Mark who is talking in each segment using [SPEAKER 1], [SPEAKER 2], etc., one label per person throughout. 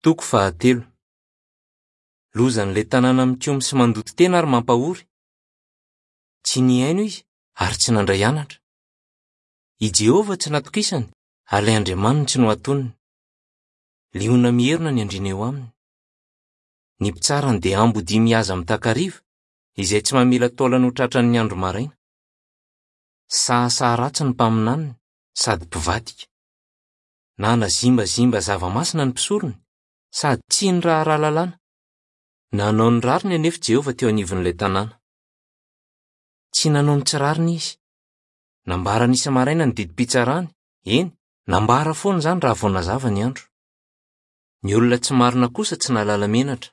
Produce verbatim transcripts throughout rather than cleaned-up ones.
[SPEAKER 1] Toko fahatelo. Lozan'ilay tanàna mikomy sy mandoto tena ary mampahory. Tsy nihaino izy ary tsy nandray anatra. I Jehovah tsy natokisany ary ilay Andriamaniny tsy nohatoniny. Liona mierona ny andriana eo aminy. Ny mpitsarany dia ambodia mihaza amin'ny takariva, izay tsy mamela taolana ho tratran'ny andro maraina. Sahasaha ratsy ny mpaminaniny sady mpivadika. Nanazimbazimba zava-masina ny mpisorony sady tsy niraharaha lalàna. Nanao ny rariny anefa Jehovah teo anivon'ilay tanàna. Tsy nanao ny tsy rariny izy. Nambarany isa-maraina ny didim-pitsarany, eny, nambara foana izany raha vao nazava ny andro. Ny olona tsy marina kosa tsy nahalala menatra.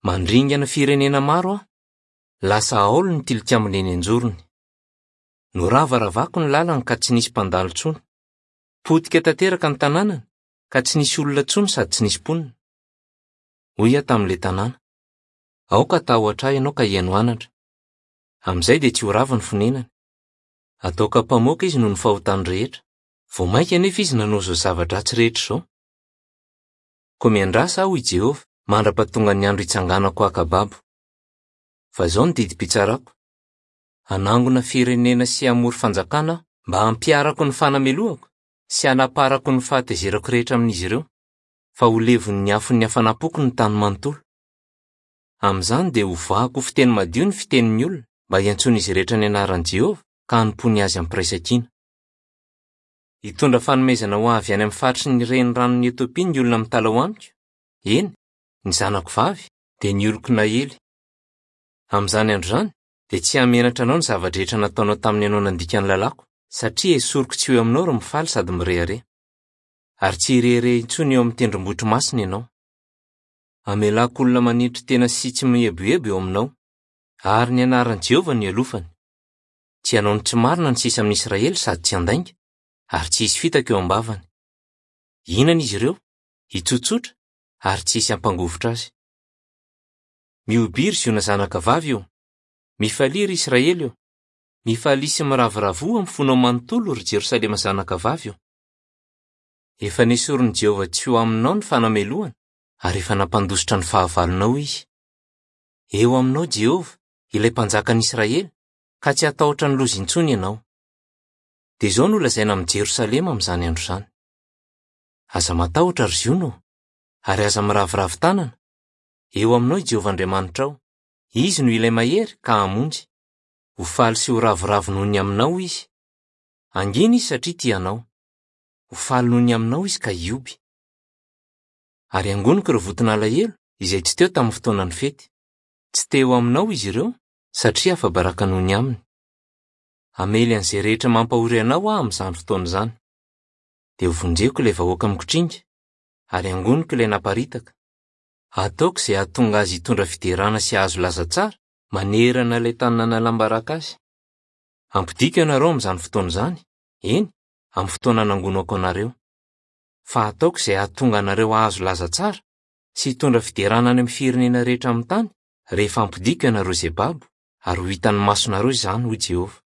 [SPEAKER 1] Mandringana firenena maro aho, lasa aolo ny tilikambony eny an-jorony. Noravaravako ny lalany ka tsy nisy mpandalo intsony. Potika tanteraka ny tanànany ka tsy nisy olona intsony sady tsy nisy mponina. Hoy aho tamin'ilay tanàna: aoka hatahotra ahy ianao ka hihaino anatra. Amin'izay dia tsy ho rava ny fonenany. Ataoko ampamoaka izy noho ny fahotany rehetra. Vao mainka anefa izy nanao izao zava-dratsy rehetra izao. Koa miandrasa aho, hoy Jehovah, mandra-pahatonga ny andro hitsanganako haka babo. Fa izao ny didim-pitsarako: hanangona firenena sy hamory fanjakana aho mba hampiharako ny fanamelohako sy hanaparako ny fahatezerako rehetra amin'izy ireo, fa ho levon'ny afon'ny hafanam-poko ny tany manontolo. Amin'izany dia hovahako ho fiteny madio ny fitenin'ny olona mba hiantsoan'izy rehetra ny anaran'i Jehovah ka hanompoany azy am-piraisankina. Hitondra fanomezana ho avy any amin'ny faritry ny reniranon'i Etiopia ny olona mitalaho amiko, eny, ny zanako vavy dia ny oloko naely. Amin'izany andro izany dia tsy hamenatra anao ny zava-drehetra nataonao tamin'ny ianao nandika ny lalàko, satria esoriko tsy ho eo aminao ry mifaly sady mirehareha. Ary tsy hirehareha intsony eo amin'ny tendrombohitro masina ianao. Hamelako olona manetry tena sy tsy mieboebo eo aminao, ary ny anaran'i Jehovah no ialofany. Tsy hanao ny tsy marina ny sisa amin'ny Israely sady tsy handainga, ary tsy hisy fitaka eo am-bavany. Hihinana izy ireo, hitsotsotra, ary tsy hisy hampangovitra azy. Mihobiry Ziona zanaka vavy io, mifalia ry Israely io, mifalia sy miravoravoa amin'ny fonao manontolo ry Jerosalema zanaka vavy io. Efa nesorin'i Jehovah tsy ho aminao ny fanamelohana, ary efa nampandositra ny fahavalonao izy. Eo aminao Jehovah, ilay mpanjakan'i Israely, ka tsy hatahotra ny loza intsony ianao. Dia izao no lazaina amin'i Jerosalema amin'izany andro izany: aza matahotra ry Ziona ô, ary aza miraviravy tanana. Eo aminao i Jehovah Andriamanitrao, izy no ilay mahery ka hamonjy. Ho faly sy ho ravoravo noho ny aminao izy. Hangina izy satria tia anao. Ho faly noho ny aminao izy ka hioby. Ary hangoniko ireo voton'alahelo izay tsy teo tamin'ny fotoanan'ny fety. Tsy teo aminao izy ireo satria afa-baraka noho ny aminy. Hamely an'izay rehetra mampahory anao aho amin'izany fotoana izany. Dia hovonjeko ilay vahoaka mikotringa, ary hangoniko ilay naparitaka. Ataoko izay hahatonga azy hitondra fiderana sy hahazo laza tsara manerana ilay tany nanalam-baraka azy. Hampidiko ianareo amin'izany fotoana izany, eny, amin'ny fotoana nangonako anareo. Fa ataoko izay hahatonga anareo hahazo laza tsara sy hitondra fiderana any amin'ny firenena rehetra amin'ny tany rehefa hampidiko ianareo izay babo, ary ho hitan'ny masonareo izany, hoy Jehovah.